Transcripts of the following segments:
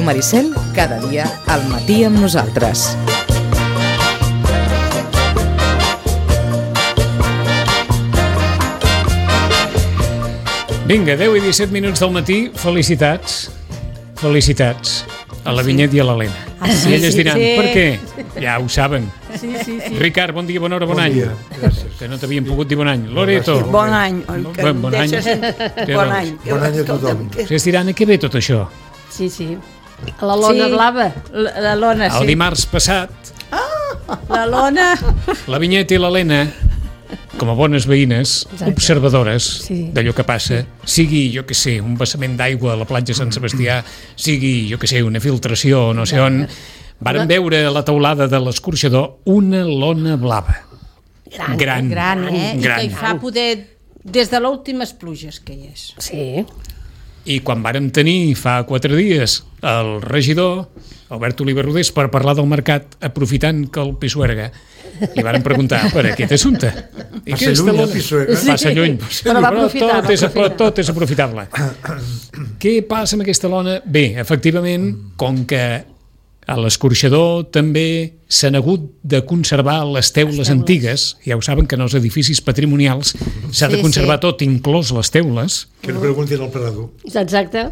Ràdio Maricel, cada dia al matí amb nosaltres. Vinga, 10 i 17 minuts del matí, felicitats a la Vinyet i a l'Helena. I elles diran, per què? Ja ho saben. Sí. Ricard, bon dia, bona hora, bon any. Dia, gràcies. Que no t'havien pogut dir bon any. Loreto. Bon any. Bon any. Bon any. Bon any a tothom. Es diran, a què ve tot això? Sí. A la lona blava. La lona, sí. El dimarts passat, La lona. la Vinyet i l'Helena, com a bones veïnes, observadores d'allò que passa, sigui, jo que sé, un vessament d'aigua a la platja Sant Sebastià, sigui, jo que sé, una filtració no sé on, varen veure a la teulada de l'escorxador una lona blava. Gran. I que hi fa poder des de les últimes pluges que hi és. Sí. I quan vàrem tenir fa 4 dies el regidor, Albert Oliver Rodés, per parlar del mercat, aprofitant que el Pisuerga, li varen preguntar per aquest assumpte. I Passa lluny el Pisuerga. Passa lluny, Però va aprofitar, tot és aprofitable. Què passa amb aquesta lona? Bé, efectivament, com que a l'escorxador també s'han hagut de conservar les teules antigues, ja ho saben que en els edificis patrimonials s'ha de conservar tot, inclòs les teules. Que no preguntin al parador. Exacte.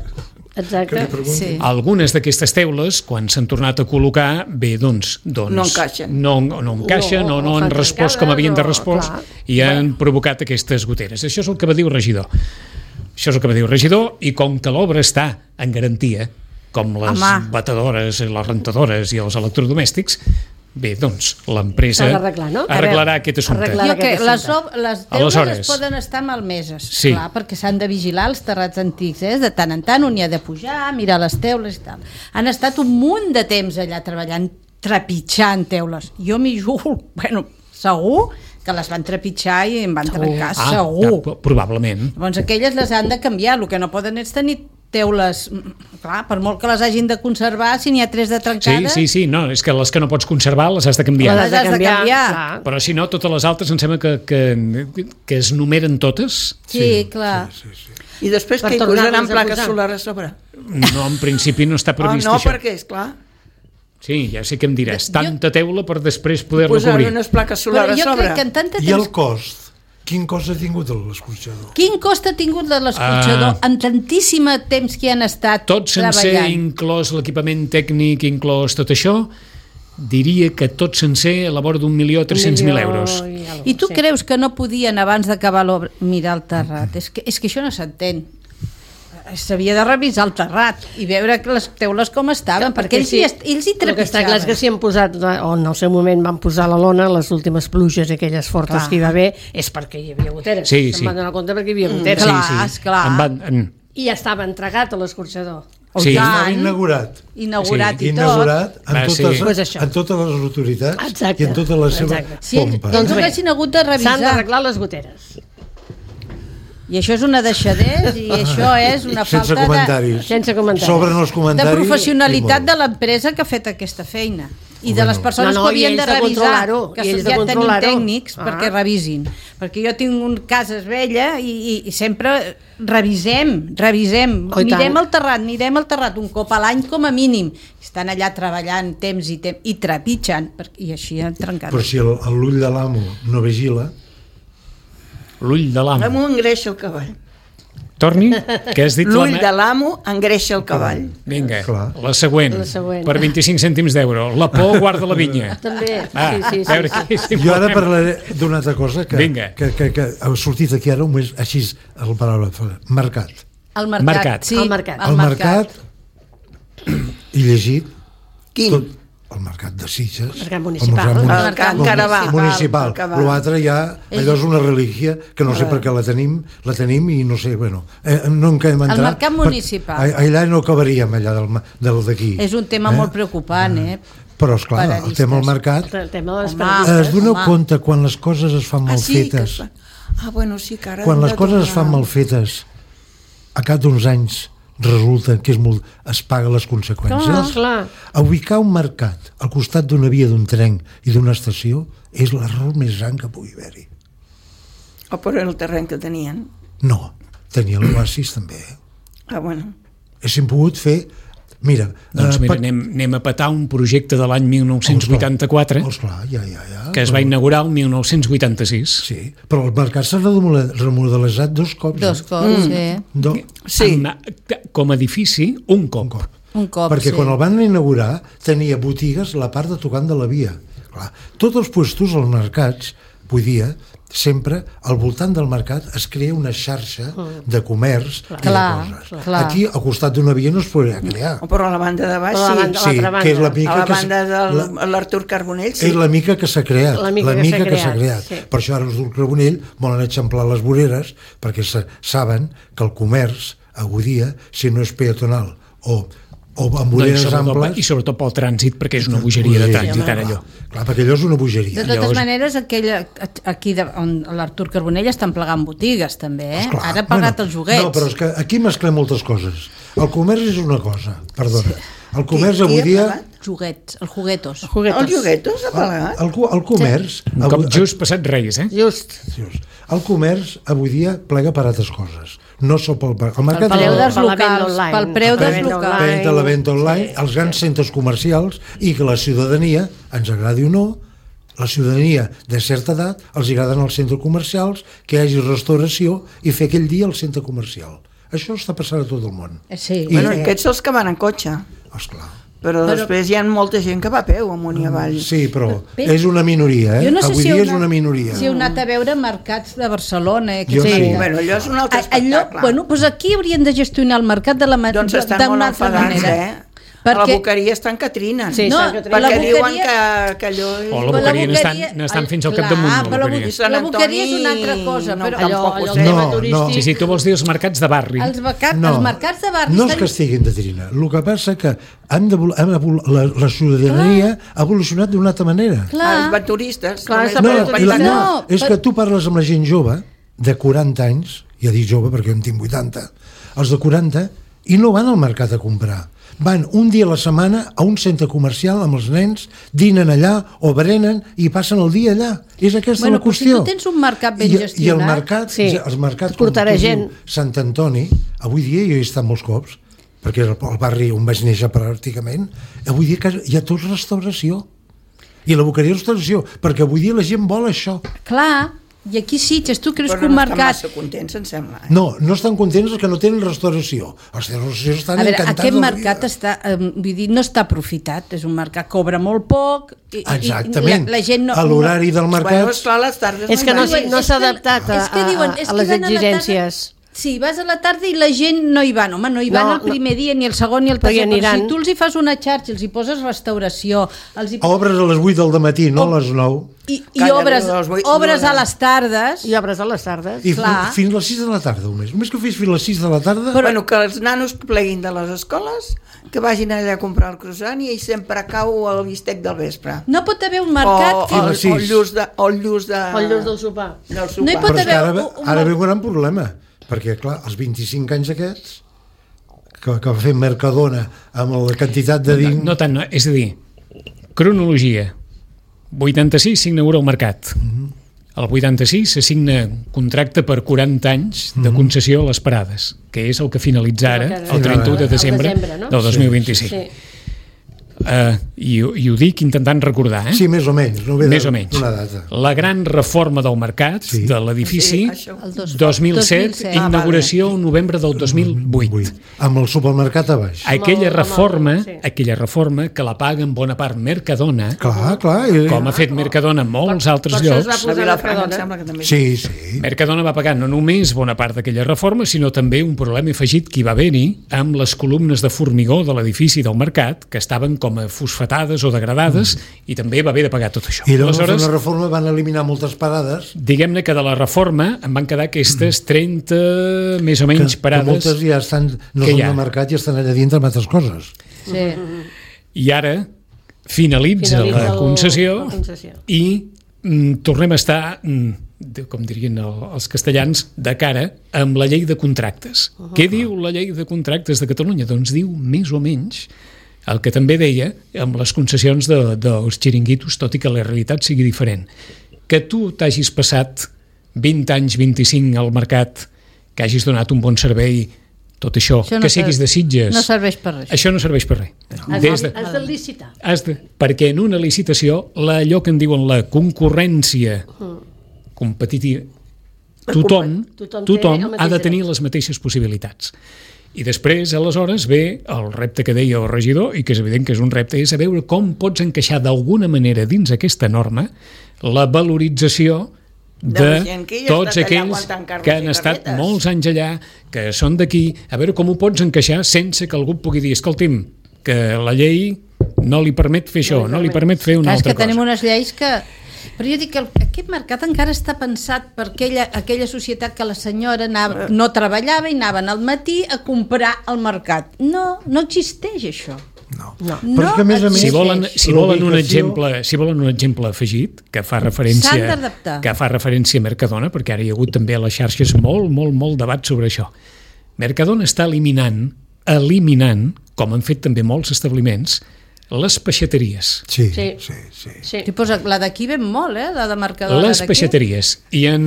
Que li preguntin. Sí. Algunes d'aquestes teules, quan s'han tornat a col·locar, bé, doncs No encaixen. no encaixen o no han fan respost trencada, com havien de no, respost clar. i han provocat aquestes goteres. Això és el que va dir el regidor. I com que l'obra està en garantia, com les batedores, les rentadores i els electrodomèstics, bé, doncs l'empresa S'ha d'arreglar, no? arreglarà aquest assumpte. Arreglar. Jo que les teules Aleshores. poden estar malmeses, Sí. clar, perquè s'han de vigilar els terrats antics, de tant en tant un hi ha de pujar, mirar les teules i tal. Han estat un munt de temps allà treballant, trepitjant teules. Jo m'hi jugo, segur que les van trepitjar i em van trencar, segur. Probablement. Llavors aquelles les han de canviar, el que no poden és tenir teules, clar, per molt que les hagin de conservar, si n'hi ha 3 de trencades... Sí, no, és que les que no pots conservar les has de canviar. Les has de canviar. Clar. Però si no, totes les altres em sembla que es numeren totes. Sí, clar. I després Per que hi tornar-les posaran a plaques posar. solars a sobre. No, en principi no està previst No, això. perquè, esclar, Sí, ja sé que em diràs, tanta teula per després poder-la posar cobrir. unes plaques Però solars a jo sobre. crec que en tant de I temps... el cost? Quin cost ha tingut l'escorxador? Quin cost ha tingut de l'escorxador en tantíssim temps que hi han estat Tot sencer, treballant? inclòs l'equipament tècnic, inclòs tot això, diria que tot sencer a la vora d'1.300.000 euros. I tu creus que no podien abans d'acabar l'obra mirar el terrat? És que això no s'entén. S'havia de revisar el terrat i veure que les teules com estaven, perquè ells hi El que està clar és que si han posat, o en el seu moment van posar la lona, les últimes pluges i aquelles fortes Clar. que hi va haver, és perquè hi havia goteres. Sí. Se'n van donar compte perquè hi havia goteres. Clar, esclar. I ja estava entregat a l'escorxador. Sí. Estava inaugurat. Inaugurat Sí, i tot. Inaugurat Va, sí. Pues això. en totes les autoritats Exacte. i en tota la seva Exacte. Si pompa. doncs no bé, haguessin hagut de revisar. S'han d'arreglar les goteres. I això és una deixadesa i això és una Sense falta comentaris. Sense comentaris. Sobren els de comentaris. professionalitat i de molt. l'empresa que ha fet aquesta feina i de les persones No, que i havien ells de de revisar, controlar-ho, que i ells de ja tenim controlar-ho. tècnics perquè revisin, perquè jo tinc un casa vella i sempre revisem, Oh, i mirem tant. el terrat un cop a l'any com a mínim, estan allà treballant temps i trepitjant i així han trencat. Però si l'ull de l'amo no vigila, L'ull de l'amo. L'amo engreixa el cavall. Torni, què has dit? L'ull de l'amo engreixa el cavall. Vinga, Clar. la següent, La següent. per 25 cèntims d'euro. La por guarda la vinya. També, sí. A veure, què és jo ara important? parlaré d'una altra cosa Vinga. que ha sortit aquí ara un mes, així, el paraula, mercat. El Mercat. mercat, sí. El mercat. El mercat, he llegit Quin? tot, el mercat de Sitges, Mercat municipal. el mercat encara va. municipal. Encara va. L'altre ja, allò és una relíquia que no sé per què la tenim i no sé, bueno, no en quedem entrar. El mercat municipal. Allà no acabaríem, allà del d'aquí. És un tema molt preocupant, Però, esclar, el Paradistes. tema del mercat, El tema de les Home. paradistes. es doneu compte quan les coses es fan mal fetes, Bueno, sí, que ara quan hem les de coses es fan tornar. mal fetes, a cap d'uns anys resulta que es paga les conseqüències. Clar. Ubicar un mercat al costat d'una via d'un tren i d'una estació és l'error més gran que pugui haver-hi. O per el terreny que tenien. No, tenia l'oasis també. Bueno. Haguéssim pogut fer Mira, Doncs mira, anem a petar un projecte de l'any 1984 Esclar, ja. que es va inaugurar el 1986. Sí, però el mercat s'ha remodelejat 2 cops. 2 cops, sí. Sí. Com a edifici, un cop. Un cop, perquè sí. quan el van inaugurar tenia botigues a la part de tocant de la via. Clar, tots els puestos als mercats, vull dir, sempre al voltant del mercat es crea una xarxa de comerç i de coses. Clar. Aquí, al costat d'una via, no es podria crear. Però a la banda de baix, Sí, que és la mica a la que banda de l'Artur Carbonell, sí. és la mica que s'ha creat, La mica que s'ha creat, sí. Per això ara els del Carbonell volen eixamplar les voreres perquè saben que el comerç avui dia, si no és peatonal o amb voreres amples... I sobretot pel trànsit, perquè és una bogeria de trànsit, ara allò. Clar, perquè allò és una bogeria. De totes maneres, aquí on l'Artur Carbonell estan plegant botigues, també, eh? Esclar. Ara ha pagat els joguets. No, però és que aquí mesclem moltes coses. El comerç és una cosa, perdona. El comerç avui dia... Joguets, els juguetos. Els juguetos ha pagat? El comerç... Un cop just passat Reis, eh? Just. El comerç avui dia plega per altres coses. No sol pel mercat. Pel preu dels locals, pel preu dels locals. Per la venda online, els grans centres comercials i que la ciutadania, ens agradi o no, la ciutadania de certa edat els agraden els centres comercials, que hi hagi restauració i fer aquell dia al centre comercial. Això està passant a tot el món. Sí. Bueno, aquests són els que van en cotxe. Esclar. Però després hi ha molta gent que va a peu amunt i avall. Sí, però és una minoria, eh? Jo no sé avui si dia és una minoria. Si heu anat a veure mercats de Barcelona. Jo sí. Bueno, allò és un altre espectacle. Bueno, doncs aquí haurien de gestionar el mercat de la doncs estan molt enfadats, A la boqueria estan Catrines. Sí, perquè diuen que allò... O la boqueria n'estan fins al capdamunt. La boqueria és una altra cosa. Allò tema turístic... Sí, tu vols dir els mercats de barri. Els mercats de barri... No és que estiguin de trina. El que passa que la ciutadania ha evolucionat d'una altra manera. Els baturistes. No, és que tu parles amb la gent jove, de 40 anys, ja dic jove perquè jo en tinc 80, els de 40, i no van al mercat a comprar. Van un dia a la setmana a un centre comercial amb els nens, dinen allà o berenen i passen el dia allà. És aquesta la qüestió. Si tu tens un mercat ben gestionat... I el mercat, els mercats com tu diu Sant Antoni, avui dia jo he estat molts cops, perquè és el barri on vaig néixer pràcticament, avui dia hi ha tot restauració. I la boqueria restauració, perquè avui dia la gent vol això. Clar. I aquí Sitges, tu creus que un mercat... Però no estan massa contents, em sembla. No estan contents els que no tenen restauració. Els de restauració estan encantats. Aquest mercat està, vull dir, no està aprofitat. És un mercat que cobra molt poc. Exactament. La gent no... A l'horari del mercat... Bueno, esclar, les tardes és que no s'ha adaptat a les exigències. Sí, vas a la tarda i la gent no hi van, home, no hi van el primer dia, ni el segon, ni el tercer, però si tu els hi fas una xarxa, els hi poses restauració... Obres a les 8 del matí, no a les 9. I obres a les tardes... I obres a les tardes. I fins a les 6 de la tarda, només que fes fins a les 6 de la tarda... Bueno, que els nanos pleguin de les escoles, que vagin allà a comprar el croissant i sempre cau el bistec del vespre. No pot haver un mercat... O el lluç del sopar. No hi pot haver... Ara ve un gran problema, perquè, clar, els 25 anys aquests, que va fer Mercadona amb la quantitat de... No tant, no. És a dir, cronologia. 86 s'inaugura el mercat. El 86 s'assigna contracte per 40 anys de concessió a les parades, que és el que finalitza ara, el 31 de desembre del 2025. I ho dic intentant recordar, Sí, més o menys. Més o menys. La gran reforma del mercat, de l'edifici, 2007, inauguració en novembre del 2008. Amb el supermercat a baix. Aquella reforma que la paga en bona part Mercadona, clar, com ha fet Mercadona en molts altres llocs. Sí. Mercadona va pagar no només bona part d'aquella reforma, sinó també un problema afegit que hi va haver-hi amb les columnes de formigó de l'edifici del mercat, que estaven com a fosfatades o degradades, i també va haver de pagar tot això. I llavors la reforma van eliminar moltes parades. Diguem-ne que de la reforma en van quedar aquestes 30 més o menys parades. Que moltes ja estan, no són de mercat i estan allà dintre amb altres coses. Sí. I ara finalitza la concessió i tornem a estar, com dirien els castellans, de cara amb la llei de contractes. Què diu la llei de contractes de Catalunya? Doncs diu més o menys el que també deia amb les concessions dels xiringuitos, tot i que la realitat sigui diferent. Que tu t'hagis passat 20 anys, 25 al mercat, que hagis donat un bon servei, tot això, que siguis de Sitges... No serveix per res. Això no serveix per res. Has de licitar. Perquè en una licitació, allò que en diuen la concurrència competitiva, tothom ha de tenir les mateixes possibilitats. I després, aleshores, ve el repte que deia el regidor, i que és evident que és un repte, és a veure com pots encaixar d'alguna manera dins aquesta norma la valorització de tots aquells que han estat molts anys allà, que són d'aquí, a veure com ho pots encaixar sense que algú pugui dir, escolti'm, que la llei no li permet fer això, no li permet fer una altra cosa. És que tenim unes lleis que... Però jo dic que aquest mercat encara està pensat per aquella societat que la senyora no treballava i anaven al matí a comprar al mercat. No existeix això. No. Però és que a més, si volen un exemple afegit que fa referència a Mercadona, perquè ara hi ha hagut també a les xarxes molt debat sobre això. Mercadona està eliminant, com han fet també molts establiments, les peixateries. Sí. La d'aquí ven molt, la de Mercadona. Les peixateries. I han,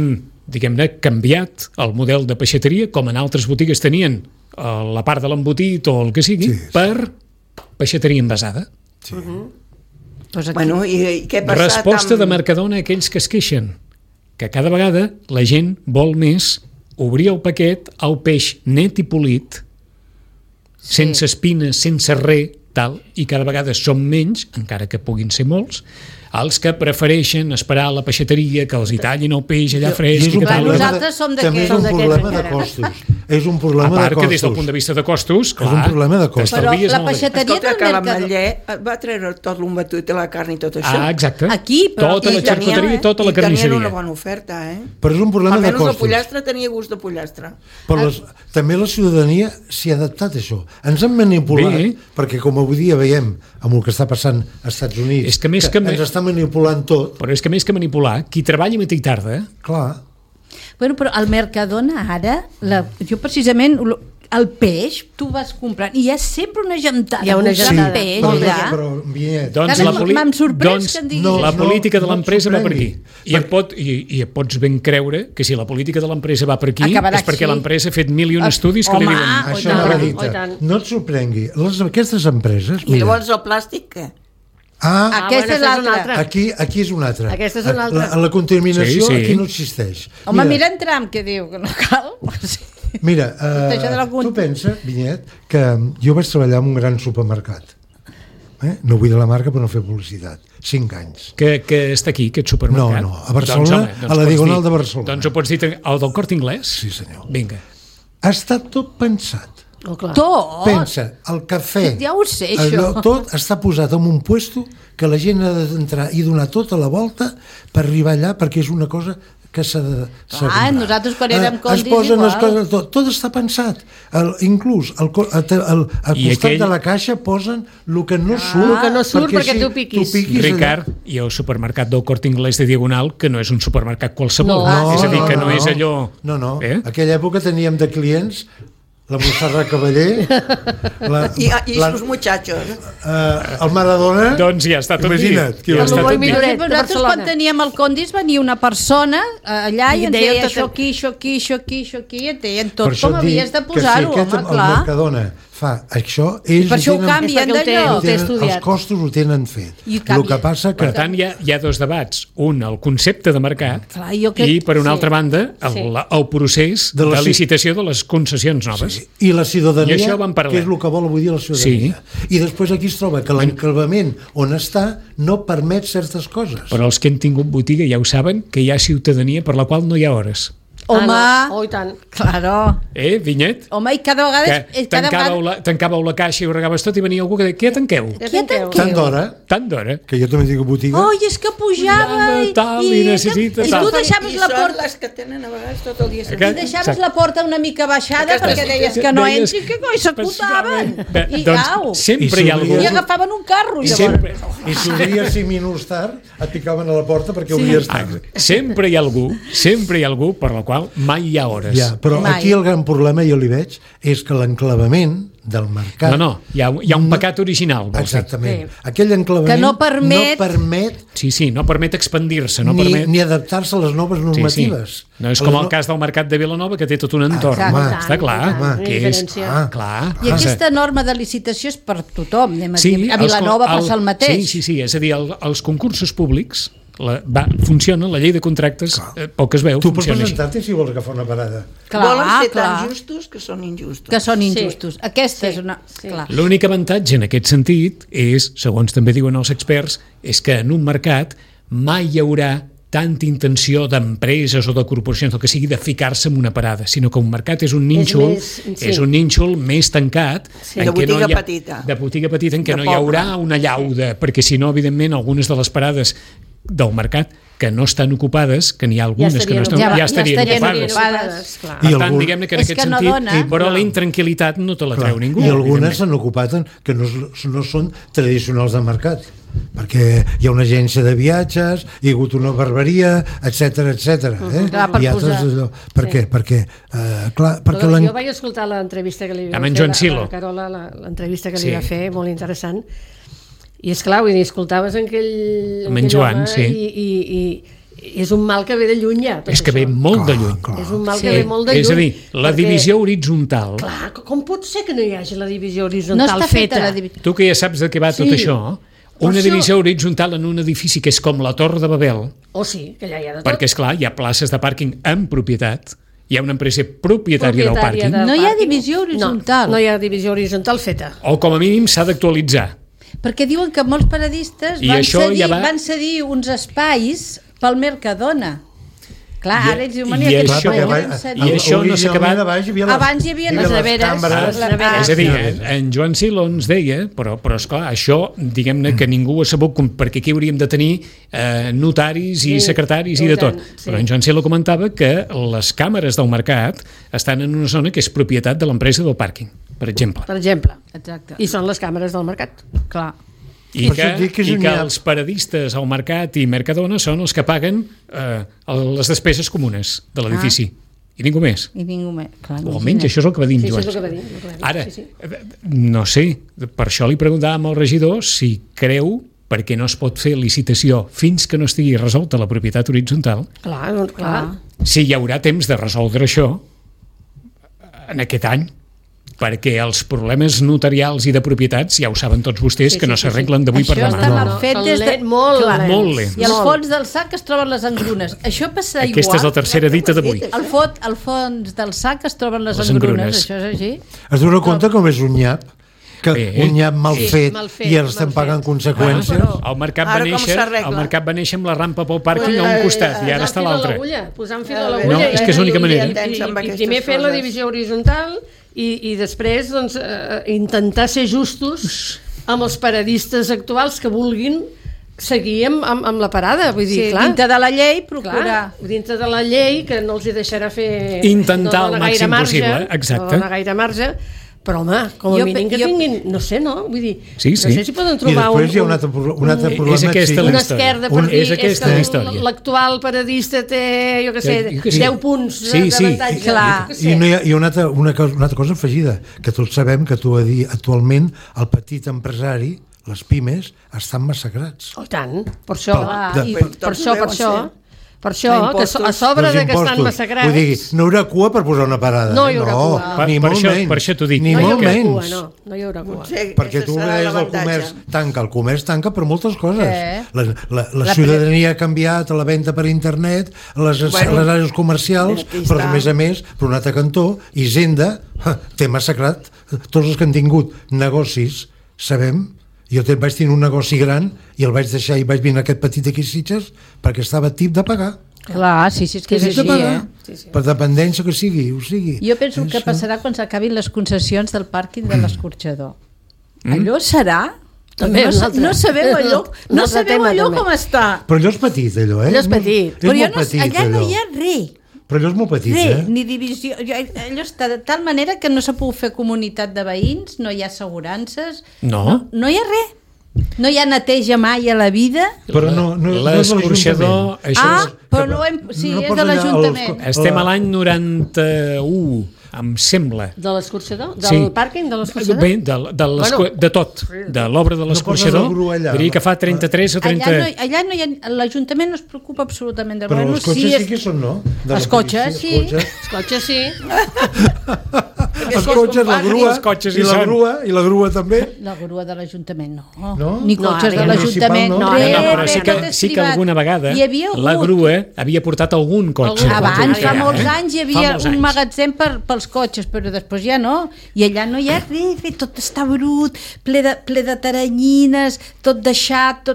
diguem-ne, canviat el model de peixateria, com en altres botigues tenien la part de l'embotit o el que sigui, per peixateria envasada. Sí. Bueno, i què ha passat Resposta de Mercadona a aquells que es queixen, que cada vegada la gent vol més obrir el paquet al peix net i polit, sense espines, sense res, tal, i cada vegada són menys, encara que puguin ser molts, els que prefereixen esperar a la peixateria que els hi tallin el peix allà fresc. Nosaltres som d'aquests. També és un problema de costos. És un problema de costos. A part que des del punt de vista de costos, clar, és un problema de costos. Però la peixateria del Mercadona... l'Ametller va treure tot l'embatut i la carn i tot això. Exacte. Aquí, però... Tota la xarcuteria i tota la carnisseria. I tenien una bona oferta, Però és un problema de costos. Almenys el pollastre tenia gust de pollastre. Però també la ciutadania s'hi ha adaptat a això. Ens han manipulat, perquè com avui dia veiem amb el que està passant als Estats Units, que ens està manipulant tot. Però és que més que manipular, qui treballa matí i tarda... Clar. Bueno, però al Mercadona ara, jo precisament, el peix, tu vas comprant, i hi ha sempre una gentada. Hi ha una gentada. Peix, m'em sorprès que em diguis la política de l'empresa va per aquí. I et pots ben creure que si la política de l'empresa va per aquí és perquè l'empresa ha fet mil i un estudis que li diuen... Això no et sorprengui. Aquestes empreses... I llavors el plàstic, què? Aquesta és l'altra. Aquí és una altra. Aquesta és una altra. La contaminació aquí no existeix. Home, mira en Trump que diu que no cal. Mira, tu pensa, Vinyet, que jo vaig treballar en un gran supermercat. No vull dir la marca per no fer publicitat. 5 anys. Que està aquí, aquest supermercat? No, a Barcelona, a la Diagonal de Barcelona. Doncs ho pots dir, el del Corte Inglés? Sí, senyor. Vinga. Ha estat tot pensat. Tot? Pensa, el cafè, ja ho sé, això. Tot està posat en un puesto que la gent ha d'entrar i donar tota la volta per arribar allà, perquè és una cosa que s'ha de comprar. Nosaltres quan érem condis igual. Tot està pensat. Inclús al costat de la caixa posen el que no surt. El que no surt perquè tu piquis. Ricard, i el supermercat del Corte Inglés de Diagonal, que no és un supermercat qualsevol. És a dir, que no és allò... No. Aquella època teníem de clients la Montserrat Cavaller i sus muchachos el Maradona, doncs ja està tot imagina't dit. Nosaltres quan teníem el Condis venia una persona allà i ens deia això aquí i et deien tot com havies de posar-ho, home, clar. El Mercadona fa això, ells per això ho canvien d'allò, els costos ho tenen fet. El que passa que... Per tant, hi ha dos debats. Un, el concepte de mercat, i per una altra banda el procés de licitació de les concessions noves. I la ciutadania, que és el que vol avui dia la ciutadania. I després aquí es troba que l'enclavament on està no permet certes coses. Però els que han tingut botiga ja ho saben, que hi ha ciutadania per la qual no hi ha hores. Home, i tant. Claro. Vinyet? Home, i cada vegada... Tancàveu la caixa i ho regaves tot i venia algú que deia, què tanqueu? Tant d'hora. Que jo també tinc botiga. És que pujava i necessita tal. I tu deixaves la porta... I són les que tenen a vegades tot el dia. I deixaves la porta una mica baixada perquè deies que no entri, que coi s'acotaven. I au. Sempre hi ha algú. I agafaven un carro. I si obries 5 minuts tard et picaven a la porta perquè obries tard. Sempre hi ha algú per la qual qual mai hi ha hores. Ja, però Mai. aquí el gran problema, jo li veig, és que l'enclavament del mercat... No, hi ha un pecat original. Vols dir. Exactament. Aquell enclavament Que no permet- Sí, no permet expandir-se, ni adaptar-se a les noves normatives. Sí. No és com el cas del mercat de Vilanova, que té tot un entorn. Exacte. Està clar. Home, Que és, diferència. clar. I aquesta norma de licitació és per tothom, anem a dir. A els- Vilanova passa el mateix. Sí, és a dir, els concursos públics funciona, la llei de contractes poc es veu, Tu pots funciona així. presentar-te si vols agafar una parada. Volen ser clar. tan justos que són injustos. Que són injustos. Sí. Aquesta és Sí. una... Sí. Clar. L'únic avantatge en aquest sentit és, segons també diuen els experts, és que en un mercat mai hi haurà tanta intenció d'empreses o de corporacions, el que sigui, de ficar-se en una parada, sinó que un mercat és un nínxol, és un nínxol més tancat, De botiga petita. de botiga petita, en què De no hi haurà poble. una llauda, perquè si no, evidentment, algunes de les parades del mercat que no estan ocupades, que n'hi ha algunes que no estan, ja estarien estarien ocupades. clar. Per I tant, algun- diguem-ne que en És aquest que no sentit, dona. però la intranquil·litat no te la treu ningú. I algunes evidentment. s'han ocupat que no són tradicionals de mercat, perquè hi ha una agència de viatges, hi ha hagut una barberia, etc etc. Clar, per I altres posar. allò. Per què? Perquè Jo vaig escoltar l'entrevista que li va Amb en fer Joan la Silo. Carola, l'entrevista que Sí. li va fer, molt interessant. I és clar, vull dir, escoltaves aquell Amb en Joan, home sí. i és un mal que ve de lluny ja. tot És que ve això. molt de lluny. És un mal Sí. que ve molt de lluny. És a dir, la perquè, divisió horitzontal, Clar, com pot ser que no hi hagi la divisió No horitzontal està feta la divisió. tu que ja saps de què va tot Sí. això, Per una això- divisió horitzontal en un edifici que és com la Torre de Babel, Sí, que allà hi ha de tot. perquè, és clar, hi ha places de pàrquing en propietat, hi ha una empresa propietària del pàrquing, No hi ha pàrquing. divisió horitzontal. No hi ha divisió horitzontal feta. o com a mínim s'ha d'actualitzar. Perquè diuen que molts paradistes I això ja va- van cedir uns espais pel Mercadona. Clar, I- ara ells diuen, i "Mira, aquests això- espais i van cedir." això no s'ha acabat. Abans Abans hi havia les neveres, cambres. les neveres. És a dir, en Joan Silo ens deia, però esclar, això, diguem-ne que ningú ho ha sabut, perquè aquí hauríem de tenir notaris i Sí, secretaris i i de tot. tant, sí. Però en Joan Silo comentava que les càmeres del mercat estan en una zona que és propietat de l'empresa del pàrquing, per exemple. Per exemple. Exacte. I són les càmeres del mercat. Clar. I Per això et dic que és un nyap. els paradistes al mercat i Mercadona són els que paguen les despeses comunes de l'edifici. I ningú més. I ningú més. Clar, O almenys això és el que va dir en Sí, això Joan. és el que va dir, el que va dir. Ara, Sí, sí. no sé, per això li preguntàvem al regidor si creu perquè no es pot fer licitació fins que no estigui resolta la propietat horitzontal, Clar, doncs, clar. si hi haurà temps de resoldre això en aquest any, perquè els problemes notarials i de propietats ja ho saben tots vostès, Sí, que no sí, sí, s'arreglen d'avui per Això demà. està No, mal no, fet són des de... lents, molt Clar. lents. Molt lents. I al Molt. fons del sac es troben les engrunes. Això passa igual. Aquesta és la tercera dita d'avui. Al fons del sac es troben les Les engrunes. engrunes. Això és així. Es dona compte com és un nyap? Que un nyap mal Sí, fet mal fet, i els estan mal pagant fet. conseqüències. El mercat, Ara va com néixer, s'arregla? el mercat va néixer amb la rampa pel pàrquing a un costat i ara està a l'altre. Posant fil a No, l'agulla. és que és l'única manera. I primer fer la divisió horitzontal i després doncs, intentar ser justos amb els paradistes actuals que vulguin seguir amb la parada. Vull dir, Sí, clar, dintre de la llei, procurar. clar, dintre de la llei, que no els hi deixarà fer... Intentar no el dona gaire màxim marge, possible, exacte. No dona gaire marge, però home, com a Jo mínim que jo- tinguin, no sé, no? Vull dir, Sí, sí. no sé si poden I trobar després hi ha un altre problema. És aquesta una la història. esquerda Un- per dir és aquesta que la història. l'actual paradista té, jo què sé, Jo què sé. 10 punts Sí, sí. d'avantatge. Clar. Jo què sé. I no hi ha una altra cosa afegida, que tots sabem que tu a dir actualment el petit empresari, les pimes, estan massacrats. Oh, i tant, per això, per això, que a sobre de que estan massacrats... Vull dir, no hi haurà cua per posar una parada. No hi haurà cua. Ni Per molt això- menys. per això t'ho dic. Ni no hi molt haurà menys. cua, no hi haurà cua. Perquè tu deies el comerç tanca. El comerç tanca per moltes coses. La La ciutadania ha canviat a la venda per internet, les àrees comercials, aquí però està. a més, per un altre cantó, Hisenda té massacrat tots els que han tingut negocis, sabem. Jo vaig tenir un negoci gran i el vaig deixar i vaig venir a aquest petit aquí a Sitges perquè estava tip de pagar. Clar, sí, és que és Tip de així, pagar. eh? Per dependència que sigui, ho sigui. Jo penso que passarà quan s'acabin les concessions del pàrquing de l'Escorxador. Allò serà... També no, un altre. no sabem allò, Un no altre sabem tema, allò també. com està. Però allò és petit, allò, eh? Allò és petit. És Però jo molt no, petit, allà no allò. hi ha res. Però allò és molt petit, Res, eh? ni divisió. Allò està de tal manera que no s'ha pogut fer comunitat de veïns, no hi ha assegurances, No. no hi ha res. No hi ha neteja mai a la vida? Però no l'escorxador... Però no és de l'Ajuntament. Estem a l'any 91, em sembla. De l'escorxador? Del pàrquing de l'escorxador? Bé, de tot. De l'obra de l'escorxador. Diria que fa 33 o 30... Allà no hi ha... L'Ajuntament no es preocupa absolutament de... Però els cotxes sí que són, no? Els cotxes, sí. Els cotxes, sí. Els cotxes, la grua, i la grua també. La grua de l'Ajuntament, no. No? Ni cotxes de l'Ajuntament. No, però sí que alguna vegada la grua havia portat algun cotxe. Abans, fa molts anys, hi havia un magatzem pels cotxes, però després ja no. I allà no hi ha res, tot està brut, ple de taranyines, tot deixat,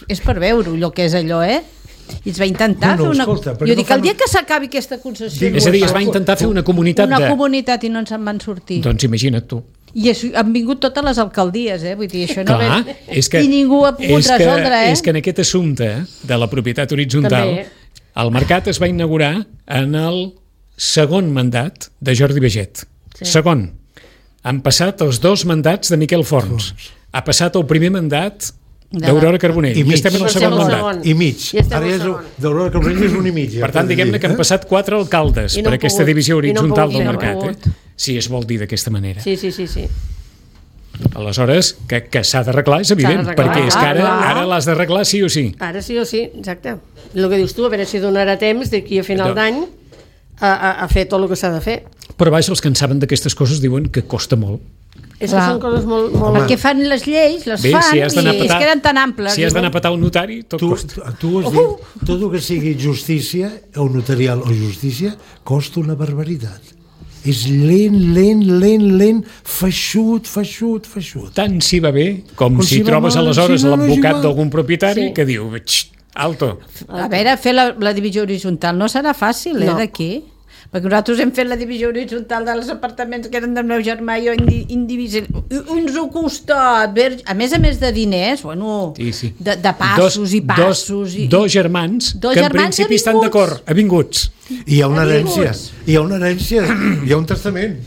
és per veure el que és allò, I es va intentar fer una... Jo dic, el dia que s'acabi aquesta concessió... És a dir, es va intentar fer una comunitat Una comunitat i no ens en van sortir. Doncs imagina't tu. I han vingut totes les alcaldies, vull dir, això no Clar, i ningú ha pogut resoldre, És que en aquest assumpte de la propietat horitzontal, el mercat es va inaugurar en el segon mandat de Jordi Baget. Segon. Han passat els 2 mandats de Miquel Forns. Ha passat el primer mandat d'Aurora Carbonell. I estem en el segon mandat. I mig. Ara d'Aurora Carbonell és 1 i mig. Per tant, diguem-ne que han passat 4 alcaldes per aquesta divisió horitzontal del mercat. Si es vol dir d'aquesta manera. Sí. Aleshores, que s'ha d'arreglar és evident, perquè és que ara l'has d'arreglar sí o sí. Ara sí o sí, exacte. El que dius tu, a veure si donarà temps d'aquí a final d'any a fer tot el que s'ha de fer. Però vaja, els que en saben d'aquestes coses diuen que costa molt. És que són coses molt... Perquè fan les lleis, les fan, i es queden tan amples. Si has d'anar a petar un notari, tot costa. Tu has dit, tot el que sigui justícia, o notarial o justícia, costa una barbaritat. És lent, feixut. Tant si va bé com si trobes aleshores l'advocat d'algun propietari que diu, alto. A veure, fer la divisió horitzontal no serà fàcil, d'aquí? Perquè nosaltres hem fet la divisió horitzontal dels apartaments que eren del meu germà i jo indivisible. Uns ho costa, a més de diners, de passos i passos. Dos germans que en principi estan d'acord, avinguts. I hi ha una herència, hi ha un testament.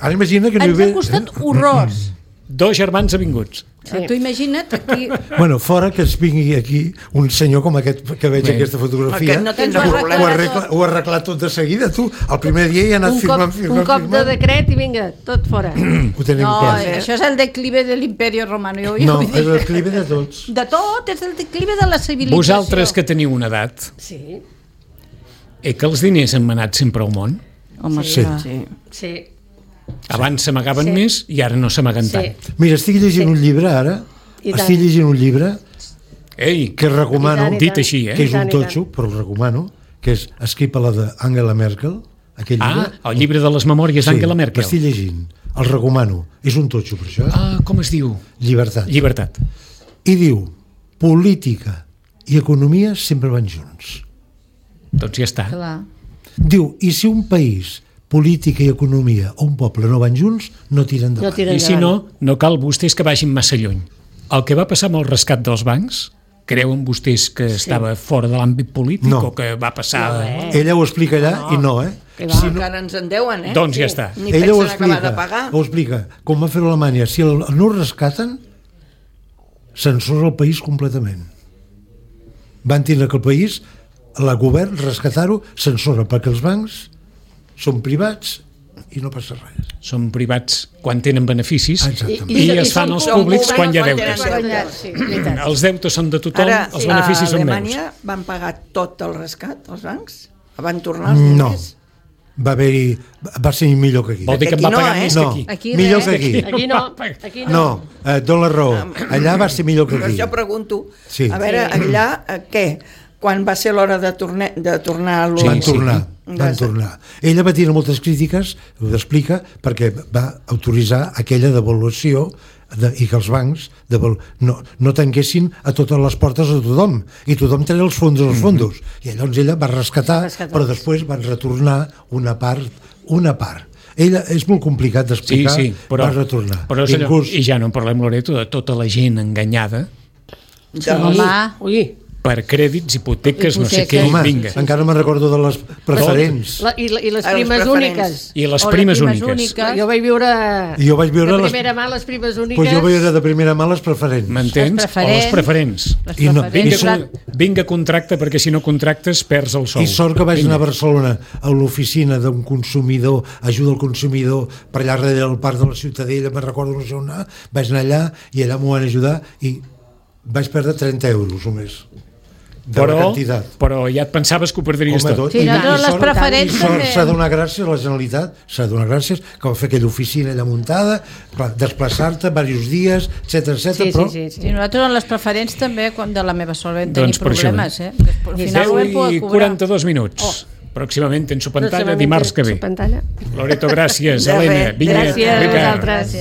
Ara imagina que ens ha costat horrors. 2 germans avinguts. Tu imagina't aquí... Bueno, fora que es vingui aquí un senyor com aquest que veig aquesta fotografia, ho ha arreglat tot de seguida, tu. El primer dia hi ha anat firmant. Un cop de decret i vinga, tot fora. Ho tenim clar. Això és el declive de l'Imperio Romano. No, és el declive de tots. De tot, és el declive de la civilització. Vosaltres que teniu una edat, que els diners han manat sempre al món? Home, sí. Abans s'amagaven més i ara no s'amaguen tant. Mira, estic llegint un llibre ara, que recomano, dit així, que és un totxo, però el recomano, que és escrit per la d'Angela Merkel, aquell llibre. El llibre de les memòries d'Angela Merkel. L'estic llegint, el recomano, és un totxo per això. Com es diu? Llibertat. I diu, política i economia sempre van junts. Doncs ja està. Diu, i si un país, política i economia o un poble no van junts, no tiren endavant. I si no cal vostès que vagin massa lluny. El que va passar amb el rescat dels bancs, creuen vostès que estava fora de l'àmbit polític o que va passar... Ella ho explica allà i no, encara ens en deuen, Doncs ja està. Ella ho explica, com va fer Alemanya. Si no ho rescaten, s'ensorra el país completament. Van tindre que el país, el govern, rescatar-ho, s'ensorra, perquè els bancs són privats i no passa res. Són privats quan tenen beneficis i es fan els públics quan hi ha deutes. Els deutes són de tothom, els beneficis són meus. A Alemanya van pagar tot el rescat, els bancs? Van tornar els diners? No, va ser millor que aquí. Vol dir que va pagar més que aquí? Millor que aquí. Aquí no. No, dona la raó. Allà va ser millor que aquí. Però jo pregunto, a veure, allà què? Quan va ser l'hora de tornar a l'Olympic? Van tornar. Ella va tenir moltes crítiques, ho explica, perquè va autoritzar aquella devaluació i que els bancs no tanquessin a totes les portes a tothom, i tothom tenia els fondos. I llavors ella va rescatar, però després van retornar una part. Ella és molt complicat d'explicar, va retornar. Però i ja no en parlem, Loreto, de tota la gent enganyada. per crèdits, hipoteques, no sé què, Home, vinga. encara me'n recordo de les preferents. I les primes úniques. I les primes úniques. Jo vaig viure de primera mà les primes úniques. Pues jo vaig veure de primera mà les preferents. M'entens? O les preferents. Vinga, contracta, perquè si no contractes perds el sou. I sort que vaig anar a Barcelona a l'oficina d'un consumidor, ajuda al consumidor, per allà darrere del parc de la Ciutadella, me'n recordo no sé on anar, vaig anar allà i allà m'ho van ajudar i vaig perdre 30 euros o més. Però ja et pensaves que ho perdries tot. Sí, les preferents també. S'ha de donar gràcies a la Generalitat, s'ha de donar gràcies que va fer aquella oficina allà muntada, desplaçar-te diversos dies, etc. però... Sí, nosaltres en les preferents també, quan de la meva sort vam tenir problemes. 10:42 minuts. Pròximament tens pantalla dimarts que ve. Loreto, gràcies. Helena, vinga. Gràcies a vosaltres.